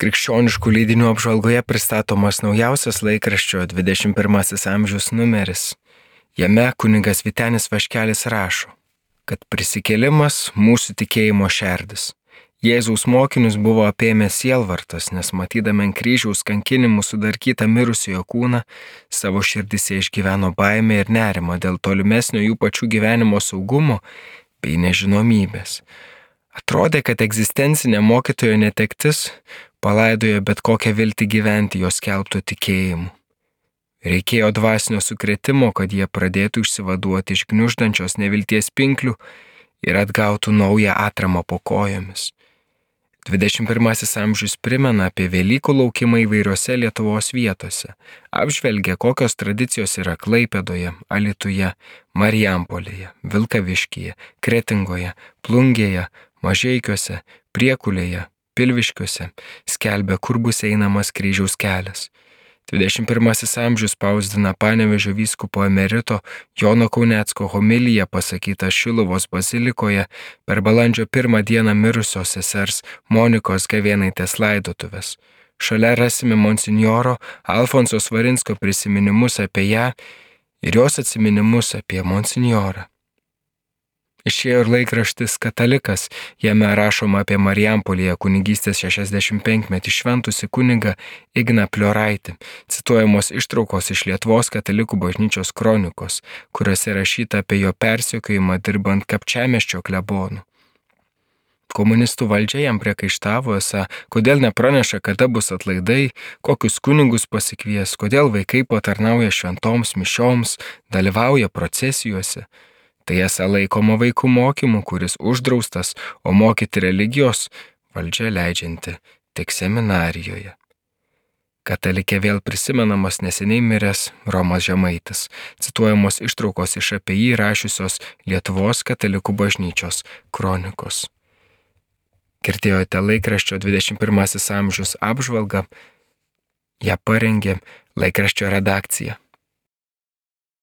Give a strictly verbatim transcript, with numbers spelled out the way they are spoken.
Krikščioniškų leidinių apžvalgoje pristatomas naujausias laikraščio dvidešimt pirmasis amžius numeris. Jame kunigas Vytenis Vaškelis rašo, kad prisikėlimas mūsų tikėjimo šerdis. Jėzaus mokinius buvo apėmęs sielvartas, nes matydami ant kryžiaus kankinimų sudarkytą mirusiojo kūną, savo širdise išgyveno baimę ir nerimą dėl tolimesnio jų pačių gyvenimo saugumo bei nežinomybės. Atrodė, kad egzistencinė mokytojo netektis palaidojo bet kokią viltį gyventi jos skelbto tikėjimu. Reikėjo dvasinio sukrėtimo, kad jie pradėtų išsivaduoti iš gniuždančios nevilties pinklių ir atgautų naują atramą po kojomis. dvidešimt pirmasis amžius primena apie Velykų laukimą įvairiose Lietuvos vietose, apžvelgia, kokios tradicijos yra Klaipėdoje, Alytuje, Marijampolėje, Vilkaviškyje, Kretingoje, Plungėje, Mažeikiuose, Priekulėje, Pilviškiuose, skelbia, kur bus einamas kryžiaus kelias. dvidešimt pirmasis amžius spausdina Panevėžio vyskupo emerito Jono Kaunecko homiliją pasakytą Šiluvos bazilikoje per balandžio pirmą dieną mirusios sesers Monikos Gavėnaitės laidotuves. Šalia rasime monsinjoro Alfonso Svarinsko prisiminimus apie ją ir jos atsiminimus apie monsinjorą. Išėjo ir laikraštis Katalikas, jame rašoma apie Marijampolėje kunigystės šešiasdešimtpenkmetį šventusį kunigą Igną Plioraitį, cituojamos ištraukos iš Lietuvos katalikų bažnyčios kronikos, kuriuose rašyta apie jo persekiojimą dirbant Kapčiamiesčio klebonu. Komunistų valdžia jam priekaištavo, esą, kodėl nepraneša, kada bus atlaidai, kokius kunigus pasikvies, kodėl vaikai patarnauja šventoms mišioms, dalyvauja procesijose. Tai esą laikoma vaikų mokymu, kuris uždraustas, o mokyti religijos valdžia leidžianti tik seminarijoje. Katalikė vėl prisimenamas neseniai miręs Romas Žemaitis, cituojamos ištraukos iš apie jį rašiusios Lietuvos katalikų bažnyčios kronikos. Girdėjote laikraščio dvidešimt pirmasis amžius apžvalgą, ją parengė laikraščio redakcija.